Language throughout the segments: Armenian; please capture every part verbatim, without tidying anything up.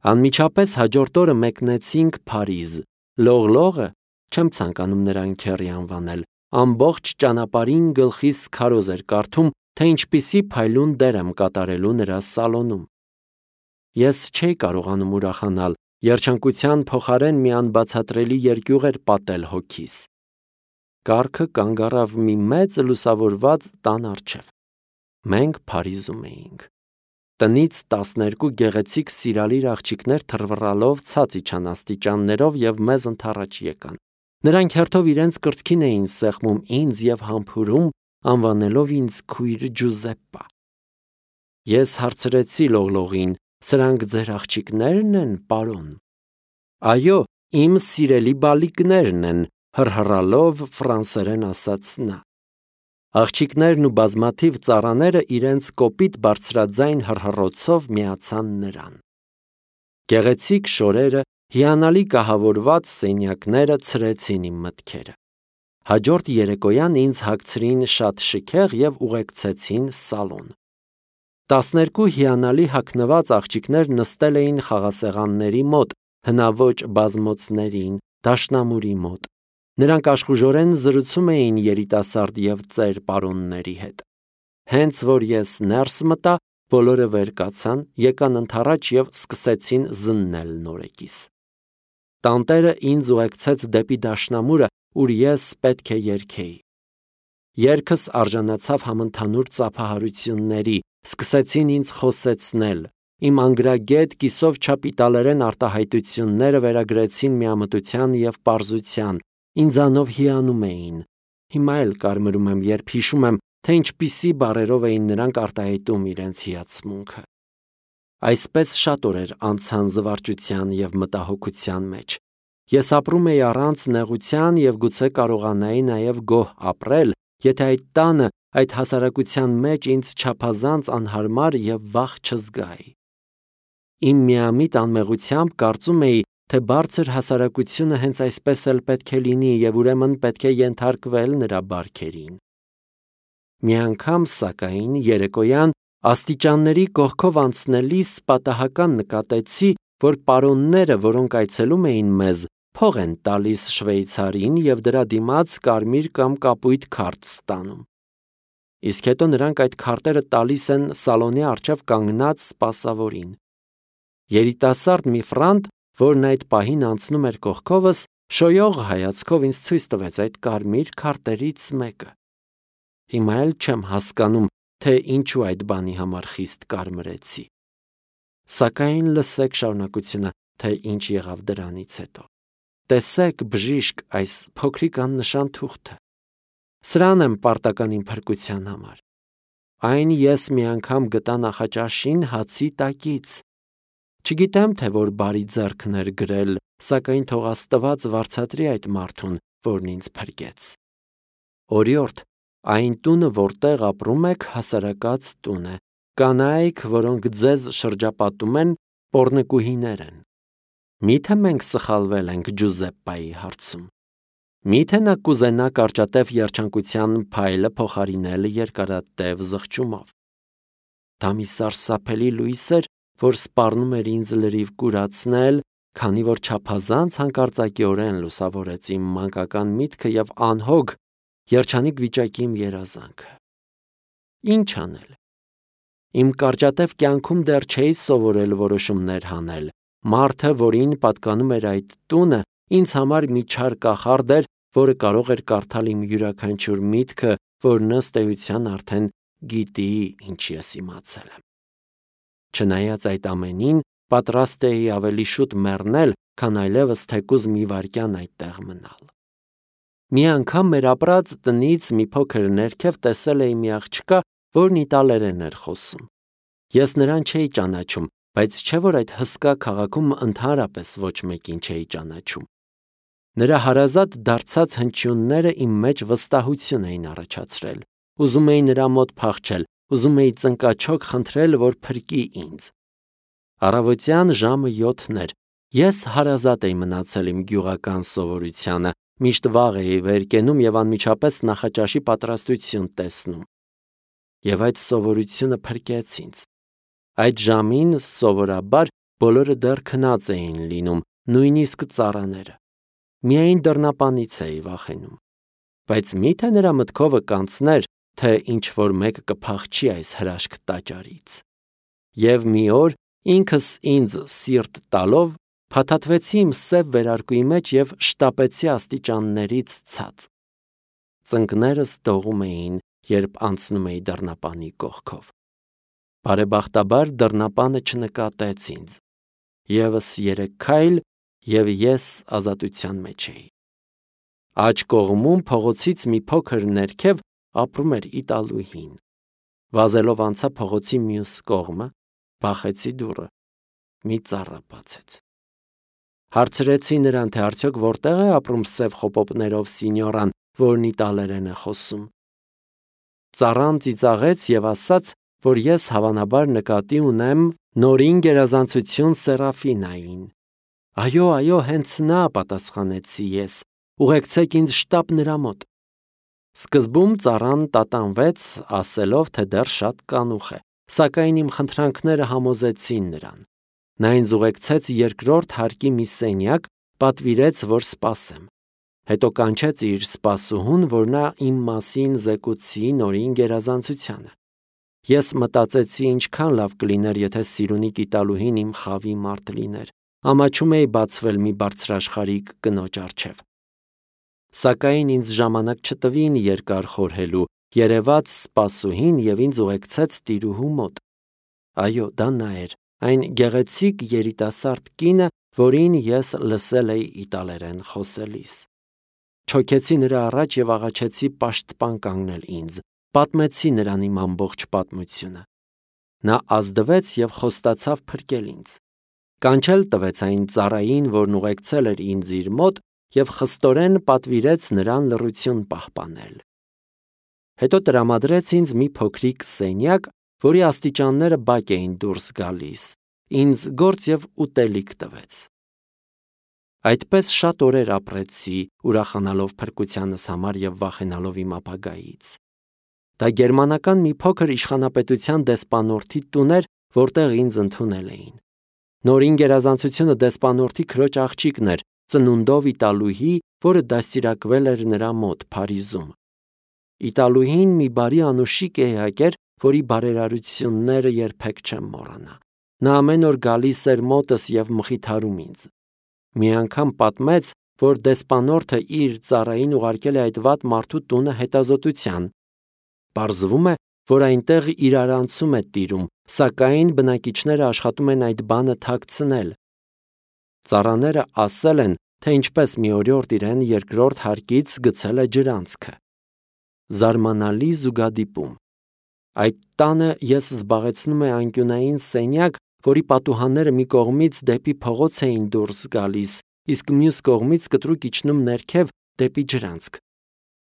Անմիջապես հաջորդ օրը մեկնեցինք Փարիզ։ Լողլողը, չեմ ցանկանում նրան քեռի անվանել, ամբողջ ճանապարհին գլխիս քարոզ էր կարդում, թե ինչպիսի փայլուն դեր եմ կատարելու նրա սալոնում։ Ես չէի կարողանում ուրախանալ, երջանկության փոխարեն մի անբացատրելի երկյուղ էր պատել հոգիս։ Կառքը կանգ առավ մի մեծ լուսավորված տան առջև։ Մենք Փարիզում էինք։ Տնից տասներկու գեղեցիկ սիրալիր աղջիկներ թռվռալով ցած իջան աստիճաններով և մեզ ընդառաջ եկան։ Նրանք հերթով իրենց կրծքին էին սեղմում ինձ և համբուրում, անվանելով ինձ քույր Ջուզեպպա։ Ես հարցրեցի Լողլողին. «Սրանք ձեր աղջիկնե՞րն են, պարոն»։ «Այո, իմ սիրելի բալիկներն են», հռհռալով ֆրանսերեն ասաց նա։ Աղջիկներն ու բազմաթիվ ծառաները իրենց կոպիտ բարձրաձայն հռհռոցով միացան նրան։ Գեղեցիկ շորերը, հիանալի կահավորված սենյակները ցրեցին իմ մտքերը։ Հաջորդ երեկոյան ինձ հագցրին շատ շքեղ և ուղեկցեցին սալոն։ Տասներկու հիանալի հագնված աղջիկներ նստել էին խաղասեղանների մոտ, հնաոճ բազմոցներին, դաշնամուրի մոտ։ Նրանք աշխուժորեն զրուցում էին երիտասարդ և ծեր պարոնների հետ։ Հենց որ ես ներս մտա, բոլորը վեր կացան, եկան ընդառաջ և սկսեցին զննել նորեկիս։ Տանտերը ինձ ուղեկցեց դեպի դաշնամուրը, ուր ես պետք է երգեի։ Երգս արժանացավ համընդհանուր ծափահարությունների, սկսեցին ինձ խոսեցնել։ Իմ անգրագետ կիսով չափ իտալերեն արտահայտությունները վերագրեցին միամտության և պարզության, ինձանով հիանում էին։ Հիմա էլ կարմրում եմ, երբ հիշում եմ, թե ինչպիսի բառերով էին նրանք արտահայտում իրենց հիացմունքը։ Այսպես շատ օրեր անցան զվարճության և մտահոգության մեջ։ Ես ապրում էի առանց նեղության և գուցե կարողանայի նաև գոհ ապրել, եթե այդ տանը, այդ հասարակության մեջ ինձ չափազանց անհարմար և վախ չզգայի։ Իմ միամիտ անմեղությամբ կարծում էի, թե բարձր հասարակությունը հենց այսպես էլ պետք է լինի և ուրեմն պետք է ենթարկվել նրա բարքերին։ Մի անգամ, սակայն, երեկոյան աստիճանների կողքով անցնելիս պատահական նկատեցի, որ պարոնները, որոնք այցելում էին մեզ, փող են տալիս շվեյցարին և դրա դիմաց կարմիր կամ կապույտ քարտ ստանում։ Իսկ հետո նրանք այդ քարտերը տալիս են սալոնի առջև կանգնած սպասավորին։ Երիտասարդ մի ֆրանտ, որն այդ պահին անցնում էր կողքովս, շոյող հայացքով ինձ ցույց տվեց այդ կարմիր քարտերից մեկը։ Հիմա էլ չեմ հասկանում, թե ինչու այդ բանի համար խիստ կարմրեցի։ Սակայն լսեք շարունակությունը, թե ինչ եղավ դրանից հետո։ Տեսեք, բժիշկ, այս փոքրիկ աննշան թուղթը։ Սրան եմ պարտական իմ փրկության համար։ Այն ես մի անգամ գտա նախաճաշին հացի տակից։ Չգիտեմ, թե որ բարի ձեռքն էր գրել, սակայն թող Աստված վարձատրի այդ մարդուն, որն ինձ փրկեց։ Օրիորդ, այն տունը, որտեղ ապրում եք, հասարակած տուն է։ Կանայք, որոնք ձեզ շրջապատում են, պոռնկուհիներ են։ Մի՞թե մենք սխալվել ենք Ջուզեպպայի հարցում։ Մի՞թե նա կուզենա կարճատև երջանկության փայլը փոխարինել երկարատև զղջումով։ Դա մի սարսափելի լույս էր, որ սպառնում էր ինձ լրիվ կուրացնել, քանի որ չափազանց հանկարծակիորեն լուսավորեց իմ մանկական միտքը և անհոգ, երջանիկ վիճակի իմ երազանքը։ Ինչ անել։ Իմ կարճատև կյանքում դեռ չէի սովորել որոշումներ հանել։ Մարդը, որին պատկանում էր այդ տունը, ինձ համար մի չար կախարդ էր, որը կարող էր կարդալ իմ յուրաքանչյուր միտքը, որ ըստ էության արդեն գիտի, ինչ ես իմացել եմ։ Չնայած այդ ամենին, պատրաստ էի ավելի շուտ մեռնել, քան այլևս թեկուզ մի վայրկյան այդտեղ մնալ։ Մի անգամ մեր ապրած տնից մի փոքր ներքև տեսել էի մի աղջկա, որն իտալերեն էր խոսում։ Ես նրան չէի ճանաչում, բայց չէ՞ որ այդ հսկա քաղաքում ընդհանրապես ոչ մեկին չէի ճանաչում։ Նրա հարազատ դարձած հնչյունները իմ մեջ վստահություն էին առաջացրել։ Ուզում էի նրա մոտ փախչել, ուզում էի ծնկաչոք խնդրել, որ փրկի ինձ։ Առավոտյան ժամը յոթն էր։ Ես հարազատ էի մնացել իմ գյուղական սովորությանը, միշտ վաղ էի վեր կենում և անմիջապես նախաճաշի պատրաստություն տեսնում։ Եվ այդ սովորությունը փրկեց ինձ։ Այդ ժամին սովորաբար Բոլորը դեռ քնած էին լինում, նույնիսկ ծառաները։ Միայն դռնապանից էի վախենում։ Բայց միթե նրա մտքովը կանցներ, թե ինչ-որ մեկը կփախչի այս հրաշք տաճարից։ Եվ մի օր ինքս ինձ սիրտ տալով փաթաթվեցի իմ սև վերարկուի մեջ և շտապեցի աստիճաններից ցած։ Ծնկներս դողում էին, երբ անցնում էի դռնապանի կողքով։ Բարեբախտաբար դռնապանը չնկատեց ինձ։ Եվս երեք քայլ, և ես ազատության մեջ էի։ Աջ կողմում փողոցից մի փոքր ներքև ապրում էր իտալուհին։ Վազելով անցա փողոցի մյուս կողմը, բախեցի դուռը։ Մի ծառա բացեց։ Հարցրեցի նրան, թե արդյոք որտեղ է ապրում սև խոպոպներով սինյորան, որն իտալերեն է խոսում։ Ծառան ծիծաղեց և ասաց, որ ես հավանաբար նկատի ունեմ նորին գերազանցություն Սերաֆինային։ Այո, այո, հենց նա, պատասխանեցի ես, ուղեկցեք ինձ շտապ նրա մոտ։ Սկզբում ծառան տատանվեց, ասելով, թե դեռ շատ կանուխ է, սակայն իմ խնդրանքները համոզեցին նրան։ Նա ինձ ուղեկցեց երկրորդ հարկի մի սենյակ, պատվիրեց, որ սպասեմ։ Հետո կանչեց իր սպասուհուն, որ նա իմ մասին զեկուցի նորին գերազանցությանը։ Ես մտածեցի ինչքան լավ կլիներ, եթե Սիրունի իտալուհին իմ խավի մարդ լիներ։ Ամաչում էի բացվել մի բարձրաշխարհիկ կնոջ առջև։ Սակայն ինձ ժամանակ չտվին երկար խորհելու, երևաց սպասուհին և ինձ ուղեկցեց տիրուհու մոտ։ Այո, դա նա էր, այն գեղեցիկ երիտասարդ կինը, որին ես լսել էի իտալերեն խոսելիս։ Չոքեցի նրա առաջ և աղաչեցի պաշտպան կանգնել ինձ, պատմեցի նրան իմ ամբողջ պատմությունը։ Նա ազդվեց և խոստացավ փրկել ինձ։ Կանչել տվեց այն ծառային, որն ուղեկցել էր ինձ իր մոտ, և խստորեն պատվիրեց նրան լռություն պահպանել։ Հետո տրամադրեց ինձ մի փոքրիկ սենյակ, որի աստիճանները բակ էին դուրս գալիս, ինձ գործ և ուտելիք տվեց։ Այդպես շատ օրեր ապրեցի, ուրախանալով փրկությանս համար և վախենալով իմ ապագայից։ Դա գերմանական մի փոքր իշխանապետության դեսպանորդի տուն էր, որտեղ ինձ ընդունել էին։ Նորին գերազանցությունը դեսպանորդի քրոջ աղջիկն էր, ծնունդով իտալուհի, որը դաստիարակվել էր նրա մոտ Փարիզում։ Իտալուհին մի բարի անուշիկ էակ էր, որի բարերարությունները երբեք չեմ մոռանա։ Նա ամեն օր գալիս էր մոտս և մխիթարում ինձ։ Մի անգամ պատմեց, որ դեսպանորդը իր ծառային ուղարկել է այդ վատ մարդու տունը հետազոտության։ Պարզվում է, որ այնտեղ իրարանցում է տիրում, սակայն բնակիչները աշխատում են այդ բանը թաքցնել։ Ծառաները ասել են, թե ինչպես մի օրիորդ իրեն երկրորդ հարկից գցել է ջրանցքը։ Զարմանալի զուգադիպում։ Այդ տանը ես զբաղեցնում եմ անկյունային սենյակ, որի պատուհանները մի կողմից դեպի փողոց էին դուրս գալիս, իսկ մյուս կողմից կտրուկ իջնում ներքև դեպի ջրանցք։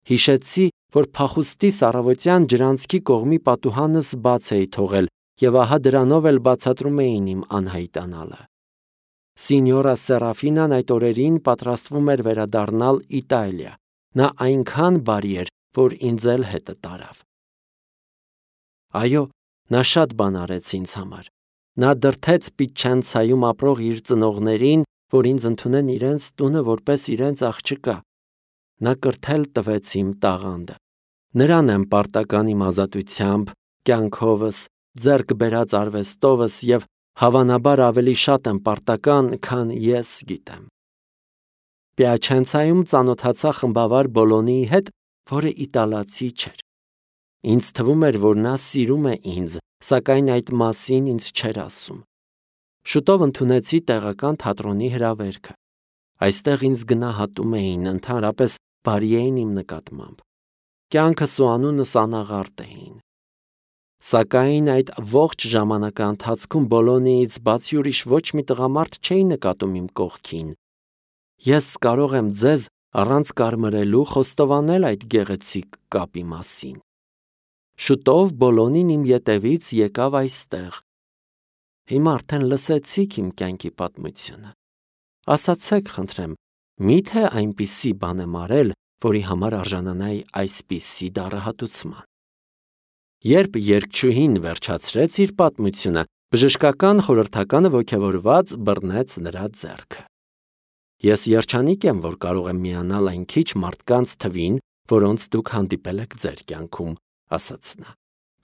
Հիշեցի, որ փախուստիս առավոտյան ջրանցքի կողմի պատուհանս բաց էի թողել, և ահա դրանով էլ բացատրում էին իմ անհայտանալը։ Սինյորա Սերաֆինան այդ օրերին պատրաստվում էր վերադառնալ Իտալիա։ Նա այնքան բարի էր, որ ինձ էլ հետը տարավ։ Այո, նա շատ բան արեց ինձ համար։ Նա դրդեց Պիչենցայում ապրող իր ծնողներին, որ ինձ ընդունեն իրենց տունը որպես իրենց աղջկա։ Նա կրթել տվեց իմ տաղանդը։ Նրան եմ պարտական իմ ազատությամբ, կյանքովս, ձեռք բերած արվեստովս և հավանաբար ավելի շատ եմ պարտական, քան ես գիտեմ։ Պիաչենցայում ծանոթացա խմբավար Բոլոնիի հետ, որը իտալացի չէր։ Ինձ թվում էր, որ նա սիրում է ինձ, սակայն այդ մասին ինձ չէր ասում։ Շուտով ընդունեցի տեղական թատրոնի հրավերքը։ Այստեղ ինձ գնահատում էին, ընդհանրապես բարի էին իմ նկատմամբ։ Կյանքս ու անունս անաղարտ էին։ Սակայն այդ ողջ ժամանակի ընթացքում Բոլոնիից բացի ուրիշ ոչ մի տղամարդ չէի նկատում իմ կողքին։ Ես կարող եմ ձեզ առանց կարմրելու խոստովանել այդ գեղեցիկ կապի մասին։ Շուտով Բոլոնին իմ ետևից եկավ այստեղ։ Հիմա արդեն լսեցիք իմ կյանքի պատմությունը։ Ասացեք, խնդրեմ, միթե այնպիսի բան եմ արել, որի համար արժանանայի այսպիսի դառահատուցման։ Երբ երգչուհին վերջացրեց իր պատմությունը, Բժշկական խորհրդականը ոգևորված բռնեց նրա ձեռքը։ Ես երջանիկ եմ, որ կարող եմ միանալ այն քիչ մարդկանց թվին, որոնց դուք հանդիպել եք ձեր կյանքում, ասաց նա։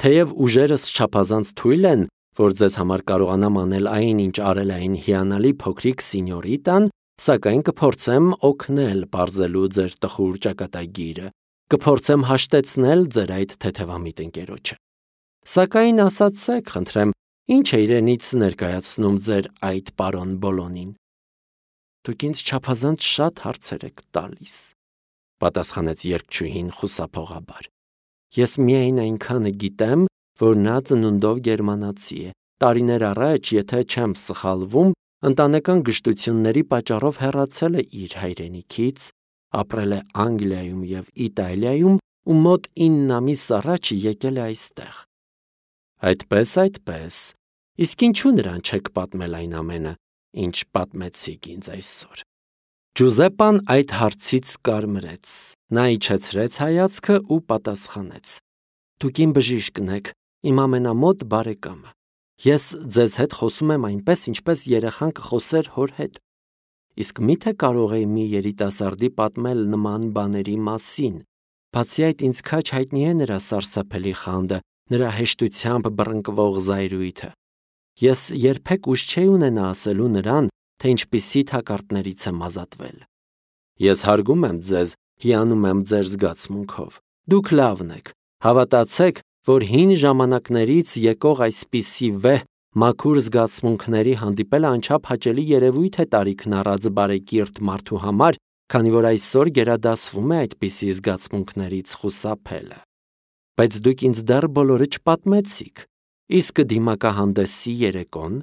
Թեև ուժերս չափազանց թույլ են, որ ձեզ համար կարողանամ անել այն, ինչ արել այն հիանալի փոքրիկ սինյորիտան, սակայն կփորձեմ օգնել պարզելու ձեր տխուր ճակատագիրը, կփորձեմ հաշտեցնել ձեր այդ թեթևամիտ ընկերոջը։ Սակայն ասացեք, խնդրեմ, ինչ է իրենից ներկայացնում ձեր այդ պարոն Բոլոնին։ Դուք ինձ չափազանց շատ հարցեր եք տալիս, պատասխանեց երգչուհին խուսափողաբար։ Ես միայն այնքանը գիտեմ, որ նա ծնունդով գերմանացի է։ Տարիներ առաջ, եթե չեմ սխալվում, ընտանեկան գժտությունների պատճառով հեռացել է իր հայրենիքից, ապրել է Անգլիայում և Իտալիայում ու մոտ ինը ամիս առաջ եկել է այստեղ։ Այդպես, այդպես, իսկ ինչու նրան չեք պատմել այն ամենը, ինչ պատմեցիք ինձ այսօր։ Ջուզեպպան այդ հարցից կարմրեց, նա իջեցրեց հայացքը ու պատասխանեց. Դուք իմ բժիշկն եք, իմ ամենամոտ բարեկամը։ Ես ձեզ հետ խոսում եմ այնպես, ինչպես երեխան կխոսեր հոր հետ։ Իսկ մի՞թե կարող էի մի երիտասարդի պատմել նման բաների մասին։ Բացի այդ, ինձ քաջ հայտնի է նրա սարսափելի խանդը, նրա հեշտությամբ բռնկվող զայրույթը։ Ես երբեք ուժ չէի ունենա ասելու նրան, թե ինչպիսի թակարդներից եմ ազատվել։ Ես հարգում եմ ձեզ, հիանում եմ ձեր զգացմունքով։ Դուք լավն եք։ Հավատացեք, որ հին ժամանակներից եկող այսպիսի վեհ, մաքուր զգացմունքների հանդիպելը անչափ հաճելի երևույթ է տարիքն առած բարեկիրթ մարդու համար, քանի որ այսօր գերադասվում է այդպիսի զգացմունքներից խուսափելը։ Բայց դուք ինձ դեռ բոլորը չպատմեցիք։ Իսկ դիմակահանդեսի երեկոն,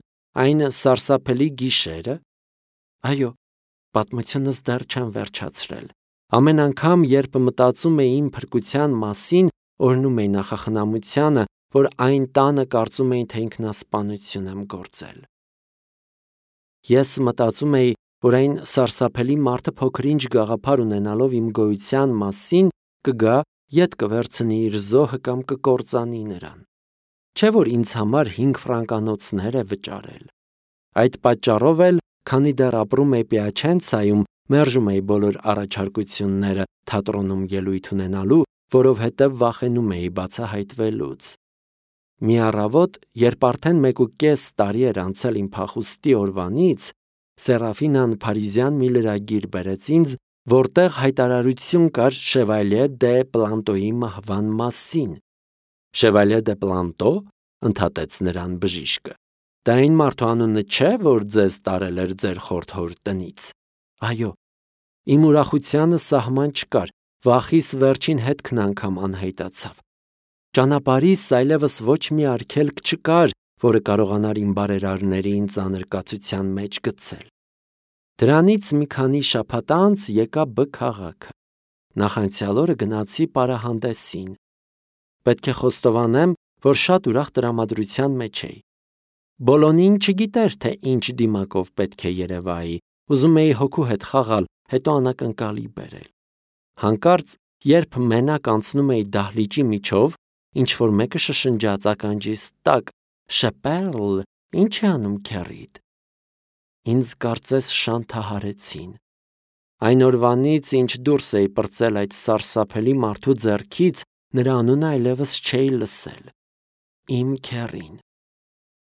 այն սարսափելի գիշերը։ Այո, պատմությունս դեռ չեմ վերջացրել։ Ամեն անգամ, երբ մտածում էի իմ փրկության մասին, օրհնում էի նախախնամությանը, որ այն տանը կարծում էին, թե ինքնասպանություն եմ գործել։ Ես մտածում էի, որ այն սարսափելի մարդը փոքր-ինչ գաղափար ունենալով իմ գոյության մասին կգա, ետ կվերցնի իր զոհը կամ կկործանի նրան։ Չէ՞ որ ինձ համար հինգ ֆրանկանոցներ է վճարել։ Այդ պատճառով էլ, քանի դեռ ապրում էի Պիաչենցայում, մերժում էի բոլոր առաջարկությունները թատրոնում ելույթ ունենալու, որովհետև վախենում էի բացահայտվելուց։ Մի առավոտ, երբ արդեն մեկուկես տարի էր անցել իմ փախուստի օրվանից, Սերաֆինան Փարիզյան մի լրագիր բերեց ինձ, որտեղ հայտարարություն կար Շևալյե դե Պլանտոյի մահվան մասին։ Շևալյե դե Պլանտո, ընդհատեց նրան բժիշկը։ Դա այն մարդու անունը չէ, որ ձեզ տարել էր ձեր խորթ հոր տնից։ Այո, իմ ուրախությանը սահման չկար, վախիս վերջին հետքն անգամ անհայտացավ։ Ճանապարհիս այլևս ոչ մի արգելք չկար, որը կարողանար իմ բարերարներին ծանր կացության մեջ գցել։ Դրանից մի քանի շաբաթ անց եկա Բ քաղաքը։ Նախանցյալ օրը գնացի պարահանդեսին։ Պետք է խոստովանեմ, որ շատ ուրախ տրամադրության մեջ էի։ Բոլոնին չգիտեր, թե ինչ դիմակով պետք է երևայի, ուզում էի հոգու հետ խաղալ, հետո անակնկալի բերել։ Հանկարծ, երբ մենակ անցնում էի դահլիճի միջով, ինչ-որ մեկը շշնջաց ականջիս տակ. «Շեպերլ, ինչ է անում քեռիդ»։ Ինձ կարծես շանթահարեցին։ Այն օրվանից, ինչ դուրս էի պրծել այդ սարսափելի մարդու ձեռքից, նրա անունը այլևս չէի լսել։ Իմ քեռին։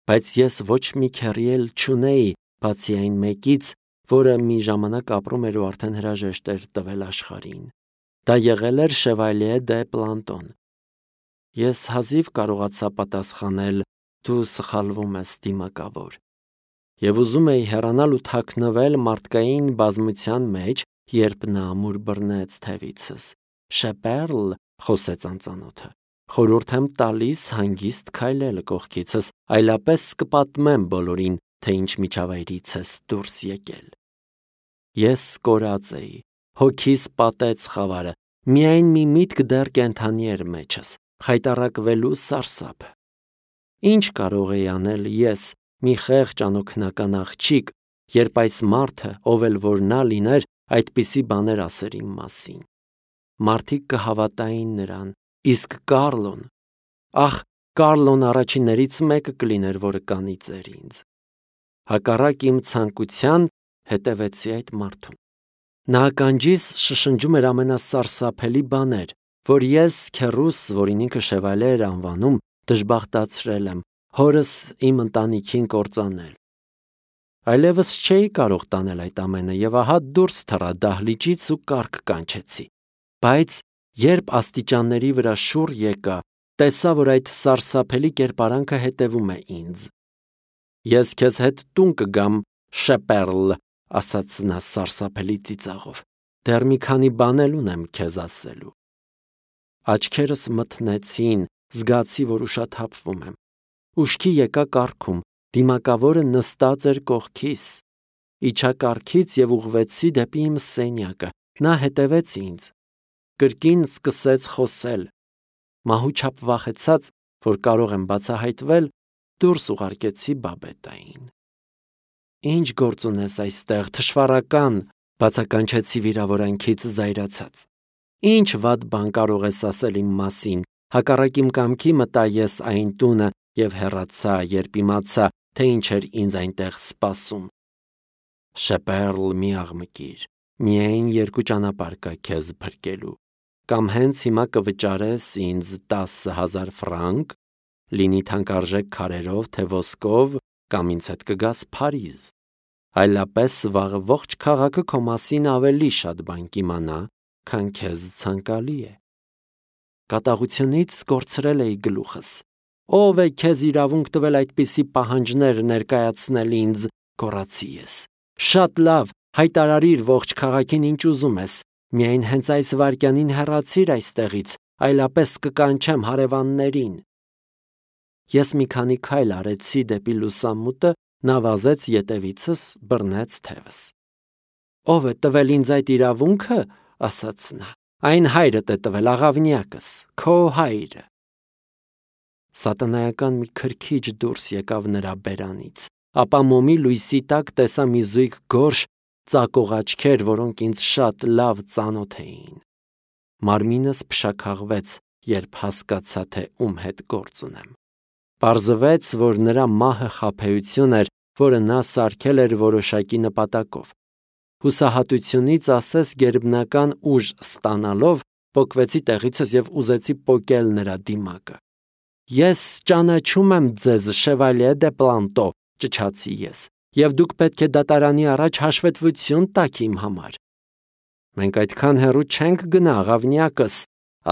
Բայց ես ոչ մի քեռի էլ չունեի, բացի այն մեկից, որը մի ժամանակ ապրում էր ու արդեն հրաժեշտ էր տվել աշխարհին։ Դա եղել էր Շևալյե դե Պլանտոն։ Ես հազիվ կարողացա պատասխանել. «Դու սխալվում ես, դիմակավոր»։ Եվ ուզում էի հեռանալ ու թաքնվել մարդկային բազմության մեջ, երբ նա ամուր բռնեց թևիցս։ «Շեպերլ», խոսեց անծանոթը, «խորհուրդ եմ տալիս հանգիստ քայլել կողքիցս, այլապես կպատմեմ բոլորին, թե ինչ միջավայրից ես դուրս եկել»։ Ես կորած էի, հոգիս պատեց խավարը, միայն մի միտք դեռ կենդանի էր մեջս՝ խայտառակվելու սարսափը։ Ինչ կարող էի անել ես, մի խեղճ անօգնական աղջիկ, երբ այս մարդը, ով էլ որ նա լիներ, այդպիսի բաներ ասեր իմ մասին։ Մարդիկ կհավատային նրան, իսկ Կարլոն, ախ, Կարլոն առաջիններից մեկը կլիներ, որը կանի ձեր ինձ։ Հակառակ իմ ցանկության հետևեցի այդ մարդուն։ Նա ականջիս շշնջում էր ամենասարսափելի բաներ, որ ես քեռուս, որին ինքը Շևալե էր անվանում, դժբախտացրել եմ, հորս իմ ընտանիքին կործանել։ Այլևս չէի կարող տանել այդ ամենը եւ ահա դուրս թռա դահլիճից ու կառք կանչեցի։ Բայց երբ աստիճանների վրա շուռ եկա, տեսա, որ այդ սարսափելի կերպարանքը հետևում է ինձ։ Ես քեզ հետ տուն կգամ, Շեպերլ, ասաց նա սարսափելի ծիծաղով։ Դեռ մի քանի բան էլ ունեմ քեզ ասելու։ Աչքերս մթնեցին, զգացի, որ ուշաթափվում եմ։ Ուշքի եկա կառքում, դիմակավորը նստած էր կողքիս։ Իջա կառքից եւ ուղղվեցի դեպի իմ սենյակը։ Նա հետևեց ինձ։ Կրկին սկսեց խոսել։ Մահուչափ վախեցած, որ կարող եմ բացահայտվել, դուրս ուղարկեցի Բաբետային։ Ինչ գործ ունես այստեղ, թշվառական, բացականչեցի վիրավորանքից զայրացած։ Ինչ վատ բան կարող ես ասել իմ մասին, հակառակ իմ կամքի մտա ես այն տունը եւ հեռացա, երբ իմացա, թե ինչ էր ինձ այնտեղ սպասում։ Շեպերլ, մի աղմկիր, միայն երկու ճանապարհ կա քեզ փրկելու։ Կամ հենց հիմա կվճարես ինձ տասը հազար ֆրանկ, լինի թանկարժեք քարերով, թե ոսկով, կամ ինձ հետ կգաս Փարիզ։ Այլապես վաղը ողջ քաղաքը քո մասին ավելի շատ բան կիմանա, քան քեզ ցանկալի է։ Կատաղությունից կորցրել էի գլուխս։ Ո՞վ է քեզ իրավունք տվել այդպիսի պահանջներ ներկայացնել ինձ, գոռացի ես։ Շատ լավ, հայտարարիր ողջ քաղաքին ինչ ուզում ես, միայն հենց այս վայրկյանին հեռացիր այստեղից, այլապես կկանչեմ հարևաններին։ Ես մի քանի քայլ արեցի դեպի լուսամուտը, նա վազեց ետևիցս, բռնեց թևս։ Ո՞վ է տվել ինձ այդ իրավունքը, ասաց նա։ Այն հայրդ է տվել, աղավնյակս, քո հայրը։ Սատանայական մի քրքիջ դուրս եկավ նրա բերանից, ապա մոմի լույսի տակ տեսա մի զույգ գորշ ծակող աչքեր, որոնք ինձ շատ լավ ծանոթ էին։ Մարմինս փշաքաղվեց, երբ հասկացա, թե ում հետ գործ ունեմ։ Պարզվեց, որ նրա մահը խաբեություն էր, որը նա սարքել էր որոշակի նպատակով։ Հուսահատությունից ասես գերբնական ուժ ստանալով պոկվեցի տեղիցս եւ ուզեցի պոկել նրա դիմակը։ Ես ճանաչում եմ ձեզ, Շևալյե դե Պլանտո, ճչացի ես, եւ դուք պետք է դատարանի առաջ հաշվետվություն տաք իմ համար։ Մենք այդքան հեռու չենք գնա, աղավնյակս,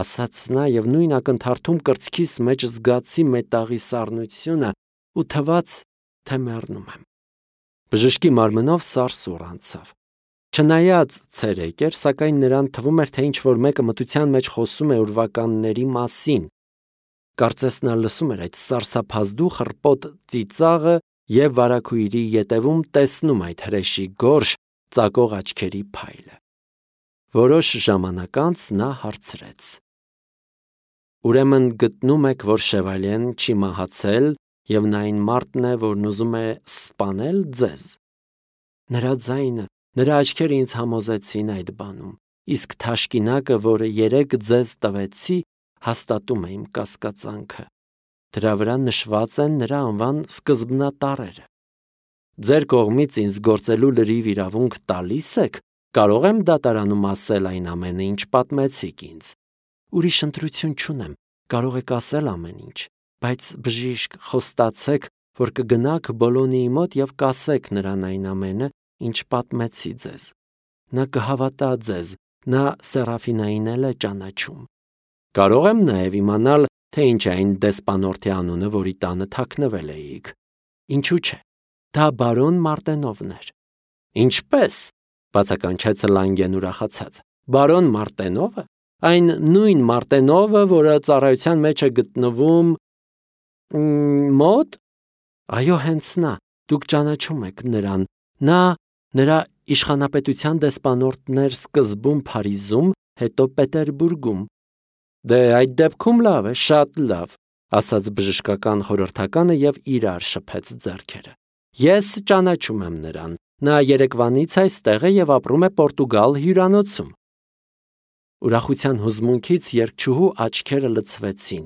ասաց նա եւ նույն ակնթարթում կրծքիս մեջ զգացի մետաղի սառնությունը ու թվաց, թե մեռնում եմ։ Բժշկի մարմնով սարսուռ անցավ։ Չնայած ցերեկ էր, սակայն նրան թվում էր, թե ինչ-որ մեկը մթության մեջ խոսում է ուրվականների մասին։ Կարծես նա լսում էր այդ սարսափազդու խռպոտ ծիծաղը եւ վարագույրի ետևում տեսնում այդ հրեշի գորշ ծակող աչքերի փայլը։ Որոշ ժամանակ անց նա հարցրեց. Ուրեմն գտնում եք, որ Շևալեն չի մահացել եւ նա այն մարդն է, որն ուզում է սպանել ձեզ։ Նրա ձայնը, նրա աչքերը ինձ համոզեցին այդ բանում, իսկ թաշկինակը, որը երեք ձեզ տվեցի, հաստատում է իմ կասկածանքը։ Դրա վրա նշված են նրա անվան սկզբնատառերը։ Ձեր կողմից ինձ գործելու լրիվ իրավունք տալիս եք, կարող եմ դատարանում ասել այն ամենը, ինչ պատմեցիք ինձ։ Ուրիշ ընտրություն չունեմ, կարող եք ասել ամեն ինչ, բայց բժիշկ, խոստացեք, որ կգնաք Բոլոնիի մոտ եւ կասեք նրան այն ամենը, ինչ պատմեցի ձեզ։ Նա կհավատա ձեզ, նա Սերաֆինային էլ է ճանաչում։ Կարող եմ նաեւ իմանալ, թե ինչ է այն դեսպանորդի անունը, որի տանը թաքնվել էիք։ Ինչու՞ չէ։ Դա բարոն Մարտենովն էր։ Ինչպես, բացականչեց Լանգեն ուրախացած։ Բարոն Մարտենովը, այն նույն Մարտենովը, որը ծառայության մեջ է գտնվում մոտ։ Այո, հենց նա, դուք ճանաչում եք նրան։ Նա նրա իշխանապետության դեսպանորդն էր սկզբում Փարիզում, հետո Պետերբուրգում։ Դե այդ դեպքում լավ է, շատ լավ, ասաց բժշկական խորհրդականը եւ իրար շփեց ձեռքերը։ Ես ճանաչում եմ նրան։ Նա երեկվանից այստեղ է եւ ապրում է Պորտուգալ հյուրանոցում։ Ուրախության հուզմունքից երգչուհու աչքերը լցվեցին։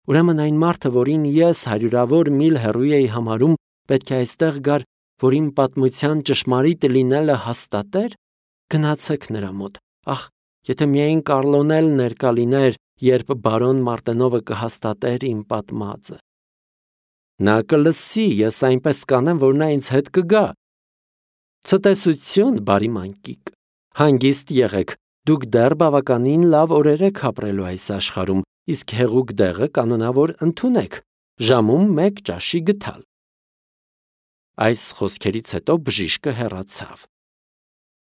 Ուրեմն այն մարդը, որին ես հարյուրավոր միլ հեռու էի համարում, պետք է այստեղ գար, որ իմ պատմության ճշմարիտ լինելը հաստատեր։ Գնացեք նրա մոտ։ Ախ, եթե միայն Կառլոն էլ ներկա լիներ, երբ բարոն Մարտենովը կհաստատեր իմ պատմածը։ Նա կլսի, ես այնպես կանեմ, որ նա ինձ հետ կգա։ Ցտեսություն, բարի մանկիկ։ Հանգիստ եղեք, դուք դեռ բավականին լավ օրեր եք ապրելու այս աշխարհում, իսկ հեղուկ դեղը կանոնավոր ընդունեք, ժամում մեկ ճաշի գթալ։ Այս խոսքերից հետո բժիշկը հեռացավ։